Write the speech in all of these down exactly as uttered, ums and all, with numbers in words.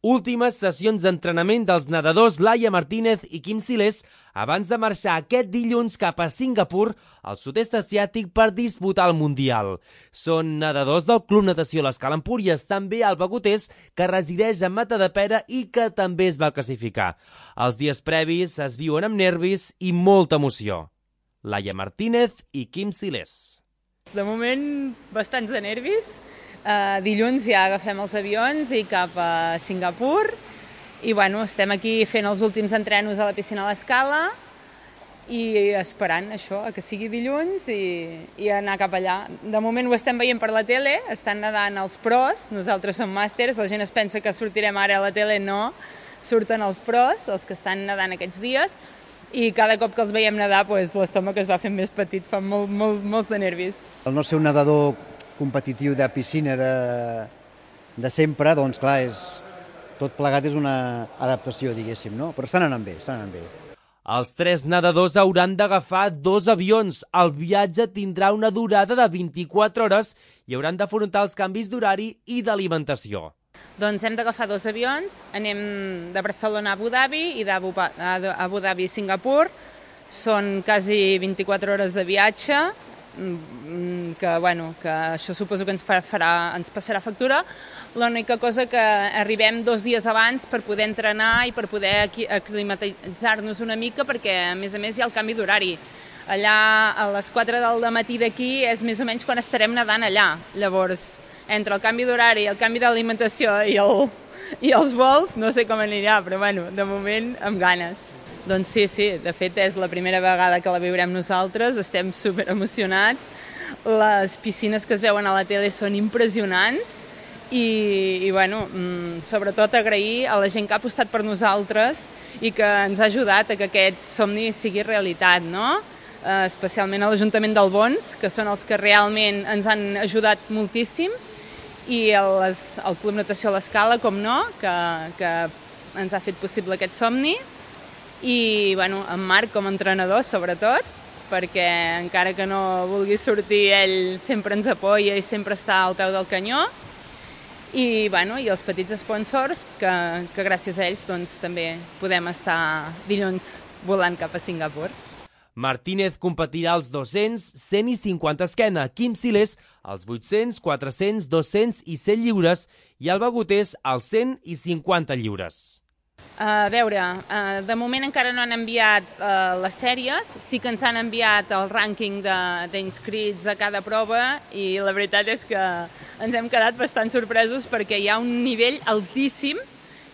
Últimes sessions d'entrenament dels nedadors Laia Martínez i Quim Silés abans de marxar aquest dilluns cap a Singapur, al sud-est asiàtic, per disputar el Mundial. Són nedadors del Club Natació l'Escala Empúries, també Alba Gotés, que resideix a Matadepera i que també es va classificar. Els dies previs es viuen amb nervis i molta emoció. Laia Martínez i Quim Silés. De moment, bastants de nervis. Uh, dilluns ja agafem els avions i cap a Singapur i bueno, estem aquí fent els últims entrenos a la piscina a l'Escala i esperant això, que sigui dilluns i, i anar cap allà. De moment ho estem veient per la tele, estan nedant els pros, nosaltres som màsters, la gent es pensa que sortirem ara a la tele, no, surten els pros, els que estan nedant aquests dies, i cada cop que els veiem nedar pues, l'estómac es va fent més petit, fa molt, molt, molts de nervis. El no ser un nedador competitiu de piscina de, de sempre, doncs clar, és, tot plegat és una adaptació, diguéssim, no? Però estan anant bé, estan anant bé. Els tres nedadors hauran d'agafar dos avions. El viatge tindrà una durada de vint-i-quatre hores i hauran d'afrontar els canvis d'horari i d'alimentació. Doncs hem d'agafar dos avions, anem de Barcelona a Abu Dhabi i d'Abu Dhabi a Singapur. Són quasi vint-i-quatre hores de viatge, que, bueno, que això suposo que ens, farà, ens passarà factura. L'única cosa que arribem dos dies abans per poder entrenar i per poder aclimatitzar-nos una mica, perquè a més a més hi ha el canvi d'horari. Allà a les quatre del matí d'aquí és més o menys quan estarem nedant allà. Llavors, entre el canvi d'horari, el canvi d'alimentació i, el, i els vols, no sé com anirà, però bueno, de moment amb ganes. Doncs sí, sí, de fet és la primera vegada que la viurem nosaltres, estem super emocionats, les piscines que es veuen a la tele són impressionants i, i bueno, sobretot agrair a la gent que ha apostat per nosaltres i que ens ha ajudat a que aquest somni sigui realitat, no? Especialment a l'Ajuntament d'Albons, que són els que realment ens han ajudat moltíssim, i el, el Club Natació a l'Escala, com no, que, que ens ha fet possible aquest somni. I bueno, en Marc com a entrenador sobretot, perquè encara que no vulgui sortir ell sempre ens apoya i sempre està al peu del canyó, i, bueno, i els petits sponsors que, que gràcies a ells doncs, també podem estar dilluns volant cap a Singapur. Martínez competirà als dos-cents, cent i cinquanta esquena, Quim Silés als vuit-cents, quatre-cents, dos-cents i cent lliures i Alba Gotés als cent i cinquanta lliures. A veure, de moment encara no han enviat les sèries, sí que ens han enviat el rànquing d'inscrits a cada prova i la veritat és que ens hem quedat bastant sorpresos perquè hi ha un nivell altíssim,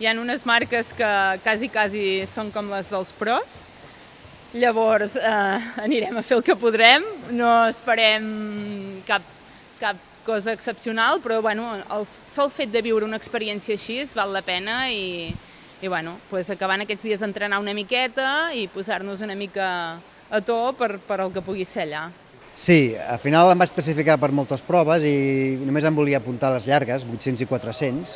hi ha unes marques que quasi, quasi són com les dels pros, llavors eh, anirem a fer el que podrem, no esperem cap, cap cosa excepcional, però bueno, el sol fet de viure una experiència així val la pena i I bueno, pues acabant aquests dies d'entrenar una miqueta i posar-nos una mica a to per, per el que pugui ser allà. Sí, al final em vaig classificar per moltes proves i només em volia apuntar les llargues, vuit-cents i quatre-cents.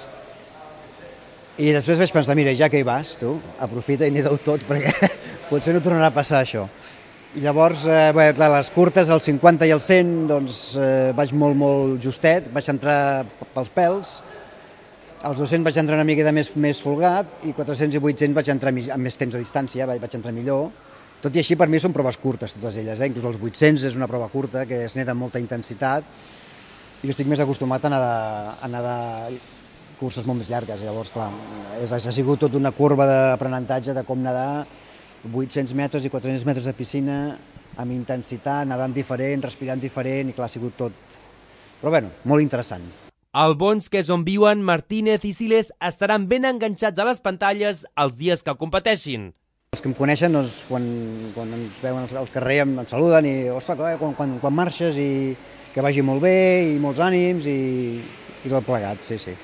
I després vaig pensar, mira, ja que hi vas, tu, aprofita i neda-ho tot perquè potser no tornarà a passar això. I llavors, eh, bé, clar, les curtes, el cinquanta i el cent, doncs eh, vaig molt, molt justet, vaig entrar pels pèls. Als dos-cents vaig entrar una miqueta més, més folgat i quatre-cents i vuit-cents vaig entrar amb més temps de distància, vaig, vaig entrar millor. Tot i així, per mi són proves curtes, totes elles. Eh? Inclús els vuit-cents és una prova curta, que es neda amb molta intensitat. I jo estic més acostumat a nedar, a nedar curses molt més llargues. Llavors, clar, és, ha sigut tota una curva d'aprenentatge de com nedar vuit-cents metres i quatre-cents metres de piscina amb intensitat, nedant diferent, respirant diferent, i clar, ha sigut tot. Però bueno, molt interessant. Albons, que és on viuen Martínez i Silés, estaran ben enganxats a les pantalles els dies que competeixin. Els que em coneixen, doncs, quan, quan ens veuen al carrer em, em saluden i, ostres, quan, quan, quan marxes i que vagi molt bé i molts ànims i, i tot plegat, sí, sí.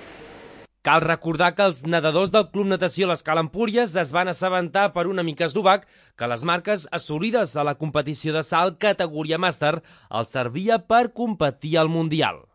Cal recordar que els nedadors del Club Natació l'Escala Empúries es van assabentar per un amic eslovac que les marques assolides a la competició de salt categoria màster els servia per competir al Mundial.